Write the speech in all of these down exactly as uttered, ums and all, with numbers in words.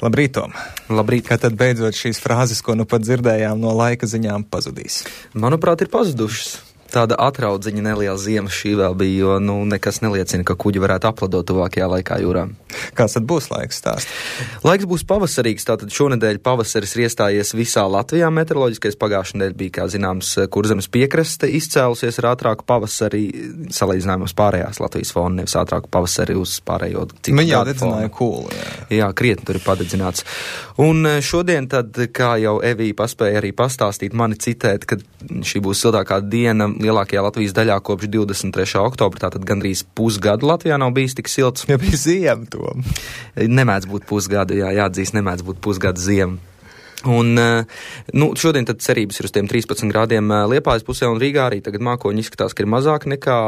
Labrīt, Tom. Labrīt. Kā tad beidzot šīs frāzes, ko nu pat dzirdējām no laika ziņām, pazudīs? Manuprāt, ir pazudušas. Tāda atraudziņa neliela ziema šī vēl bija, jo nu, nekas neliecina, ka kuģi varētu apladot tuvākajā laikā jūrā. Kāds tad būs laiks stāst? Laiks būs pavasarīgs, tātad šonedēļ pavasaris ir iestājies visā Latvijā meteoroloģiskais. Pagājušā nedēļa bija, kā zināms, Kurzemes piekraste izcēlusies ar ātrāku pavasari, salīdzinājumā uz pārējās Latvijas fonu, nevis ātrāku pavasari uz pārējo citu Viņa jau gadu dedzināja fonu. kūlu, jā. Jā, krietni tur ir padedzināts. Un šodien tad, kā jau Evija paspēja arī pastāstīt, mani citēt, ka šī būs siltākā diena lielākajā Latvijas daļā kopš divdesmit trešā oktobra, tātad gandrīz pusgadu Latvijā nav bijis tik silts. Ja bija ziema, Tom. Nemēdz būt pusgadu, jā, jāatzīst, nemēdz būt pusgadu ziema. Un, nu, šodien tad cerības ir uz tiem trīspadsmit grādiem Liepājas pusē un Rīgā arī tagad mākoņi izskatās, ka ir mazāk nekā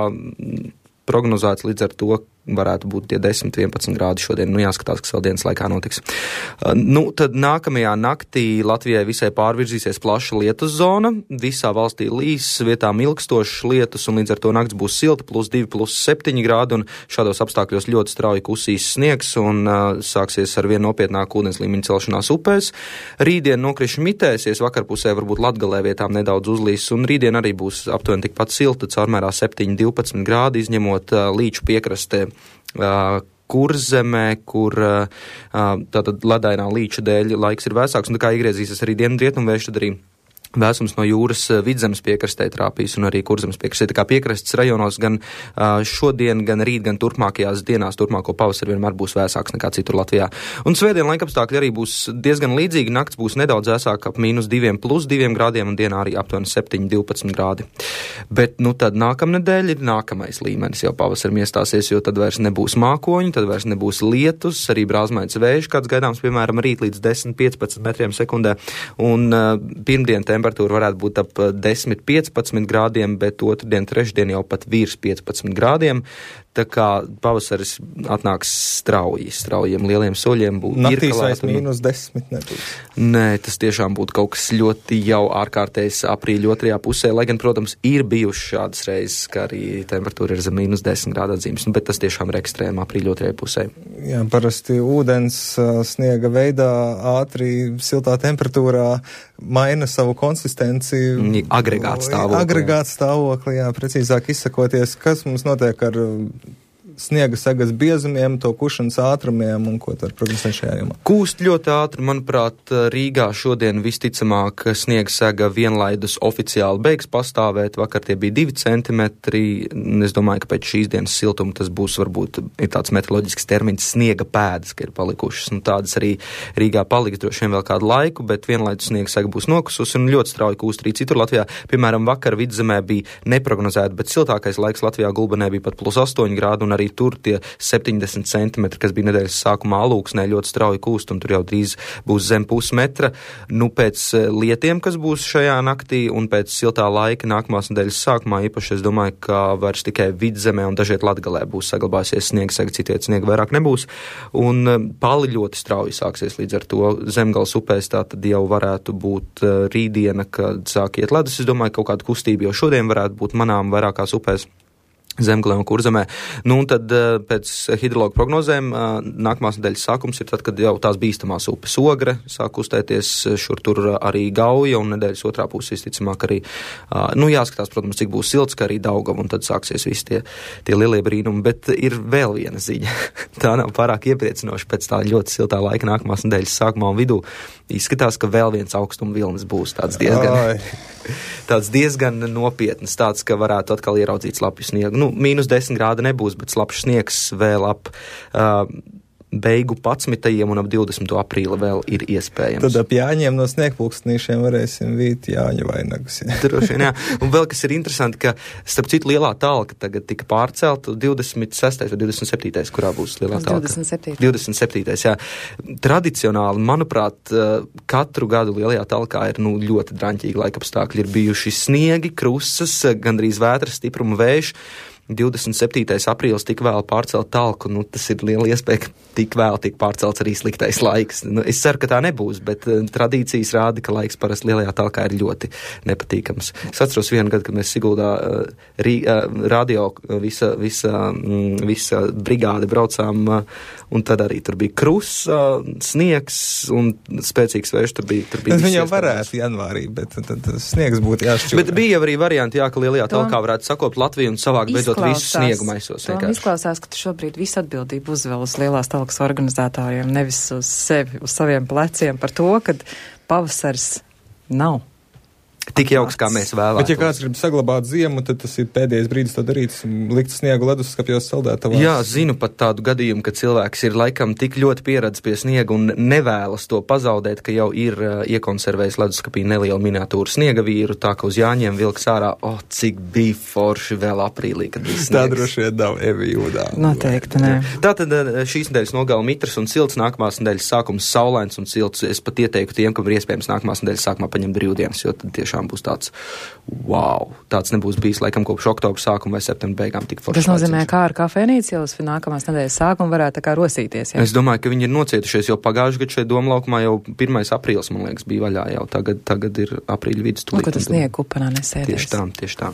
prognozēts, līdz ar to varētu būt tie desmit vienpadsmit grādi šodien. Nu, jāskatās, kas vēl dienas laikā notiks. Uh, nu, tad nākamajā naktī Latvijai visai pārvirzīsies plaša lietus zona. Visā valstī līs, vietām ilgstošas lietus, un līdz ar to nakts būs silta, plus divi, plus septiņi grādi, un šādos apstākļos ļoti strauji kusīs sniegs, un uh, sāksies ar vien nopietnāku ūdens līmeņa celšanās upēs. Rītdien nokrišņi mitēsies, vakarpusē varbūt Latgalē vietām nedaudz uzlīs, un rītdien arī būs aptuveni tikpat silta, caurmērā septiņi divpadsmit grādi, izņemot uh, līču piekrastē. Uh, Kurzemē, kur uh, tātad ledainā līča dēļ laiks ir vēsāks, un tā kā iegriezīsies arī dienvidrietumvējš, tad arī vēsums no jūras Vidzemes piekrastē trāpīs un arī Kurzemes piekrastē. Tā kā piekrastes rajonos gan uh, šodien, gan rīt, gan turpmākajās dienās, turpmāko pavasari vienmēr būs vēsāks nekā citur Latvijā. Un svētdien laikapstākļi arī būs diezgan līdzīgi. Nakts būs nedaudz vēsāk, ap mīnus diviem plus diviem grādiem, un dienā arī aptuveni septiņi divpadsmit grādi. Bet, nu, tad nākamnedēļ ir nākamais līmenis jau pavasarim iestāsies, jo tad vairs nebūs mākoņi, tad vairs nebūs lietus, arī brāzmains vējš, kāds gaidāms, piemēram, rīt līdz desmit piecpadsmit metriem sekundē. Un uh, pirmdien temperatūra varētu būt ap desmit piecpadsmit grādiem, bet otrdien, trešdien jau pat virs piecpadsmit grādiem. Tā kā pavasaris atnāks strauji, straujiem lieliem soļiem. Naktīs vairs mīnus desmit nebūs. Nē, tas tiešām būtu kaut kas ļoti jau ārkārtējs aprīļa otrajā pusē, lai gan, protams, ir bijuši šādas reizes, ka arī temperatūra ir zem mīnus desmit grādu atzīmes, bet tas tiešām ir ekstrēma aprīļa otrajā pusē. Jā, parasti ūdens sniega veidā ātri siltā temperatūrā maina savu konsistenci. Agregāta stāvokli. Agregāta stāvokli, jā, precīzāk izsakoties, kas mums notiek ar sniega sagas biezumiem, to kušanas ātrumiem un ko tad prognozē šajā jomā? Kūst ļoti ātri, manuprāt, Rīgā šodien visticamāk sniega saga vienlaidus oficiāli beigs pastāvēt. Vakar tie bija divi centimetri. Es domāju, ka pēc šīs dienas siltuma tas būs varbūt ir tāds meteoroloģisks termins sniega pēdas, ka ir palikušas. Un tādas arī Rīgā paliks droši vien vēl kādu laiku, bet vienlaidus sniega saga būs nokususi un ļoti strauji kūst arī citur Latvijā. Piemēram, vakar Vidzemē bija neprognozēta, bet siltākais laiks Latvijā Gulbenē bija pat plus astoņi grādi, un arī tur tie septiņdesmit centimetri, kas bija nedēļas sākumā Alūksnē, ļoti strauji kūst, un tur jau drīz būs zem pusmetra. Nu, pēc lietiem, kas būs šajā naktī, un pēc siltā laika nākamās nedēļas sākumā, īpaši es domāju, ka vairs tikai Vidzemē un dažiet Latgalē būs saglabāsies sniegs, citiet sniega vairāk nebūs, un pali ļoti strauji sāksies līdz ar to Zemgales upēs, tā tad jau varētu būt rītdiena, kad sāk iet ledus. Es domāju, ka kaut kāda kustība jau šodien varētu būt manām vairākās upēs. Zemgalē un Kurzemē. Nu, un tad pēc hidrologu prognozēm nākamās nedēļas sākums ir tad, kad jau tās bīstamās upes Ogre sāk kustēties, šur tur arī Gauja, un nedēļas otrā puse visticamāk arī, nu, jāskatās, protams, cik būs silts, ka arī Daugava, un tad sāksies visi tie, tie lielie brīnumi. Bet ir vēl viena ziņa. Tā nav pārāk iepriecinoša pēc tā ļoti siltā laika nākamās nedēļas sākumā un vidū. Izskatās, ka vēl viens augstuma vilnis būs tāds diezgan, tāds diezgan nopietns, tāds, ka varētu atkal ieraudzīt slapju sniegu. Nu, mīnus desmit grādi nebūs, bet slapjš sniegs vēl ap uh, beigu padsmitajiem un ap divdesmito aprīli vēl ir iespējams. Tad ap Jāņiem no sniegpulkstenīšiem varēsim vīt Jāņu vainagus. Jā. Droši vien, jā. Un vēl kas ir interesanti, ka starp citu lielā talka tagad tika pārcelta divdesmit sestais vai divdesmit septītais, kurā būs lielā talka? divdesmit septītais. divdesmit septītais, jā. Tradicionāli, manuprāt, katru gadu lielajā talkā ir nu, ļoti draņķīgi laikapstākļi. Ir bijuši sniegi, krusas, gandrīz vētras stipruma vējš. divdesmit septītais aprīlis tik vēl pārcelt talku, nu tas ir liela iespēja, ka tik vēl tiek pārcelts arī sliktais laiks. Nu, es ceru, ka tā nebūs, bet uh, tradīcijas rāda, ka laiks parasti lielajā talkā ir ļoti nepatīkams. Es atceros vienu gadu, kad mēs Siguldā uh, rī, uh, radio visa, visa, mm, visa brigāde braucām, uh, un tad arī tur bija krus, uh, sniegs un spēcīgs vējš, tur bija. Tur bija Viņi jau varētu janvārī, bet tad, tad sniegs būtu jāšķūrē. Bet bija arī varianti, jā, ka lielajā talkā varētu sakopt Latviju un savākt beidzot visu sniegu maisos. Tom izklausās, ka tu šobrīd visu atbildību uzvēl uz lielās talkas organizētājiem, nevis uz sevi, uz saviem pleciem par to, ka pavasaris nav. Tik jauks, kā mēs vēlētos. Bet ja kāds grib saglabāt ziemu, tad tas ir pēdējais brīdis to darīt, likt sniegu leduskapjos saldētavās. Jā, zinu pat tādu gadījumu, ka cilvēks ir laikam tik ļoti pieredzis pie sniega un nevēlas to pazaudēt, ka jau ir uh, iekonservējis leduskapī nelielu miniatūru sniega vīru, tā ka uz Jāņiem vilks ārā, oh, cik bija forši vēl aprīlī, kad bija sniegs. Tā droši vien nav Evi Jūdā. Noteikti, nē. Tātad šīs nedēļas nogala mitrs un silts, nākamās nedēļas sākums saulains un silts. Es pat ieteiktu tiem, kam ir iespējams nākamās nedēļas sākumā paņemt brīvdienas, jo tad tiešām būs tāds, wow, tāds nebūs bijis laikam kopš oktobra sākuma vai septembra beigām tik forši. Tas nozīmē, kā ar kafejnīcu jau uz nākamās nedēļas sākumu varētu tā kā rosīties, jā? Es domāju, ka viņi ir nocietušies, jo pagājuši gadu šeit Doma laukumā jau pirmais aprīlis, man liekas, bija vaļā jau. Tagad, tagad ir aprīļa vidus. Nu, ka tas sniegu kupenā nesēdies. Tieši tā, tieši tā.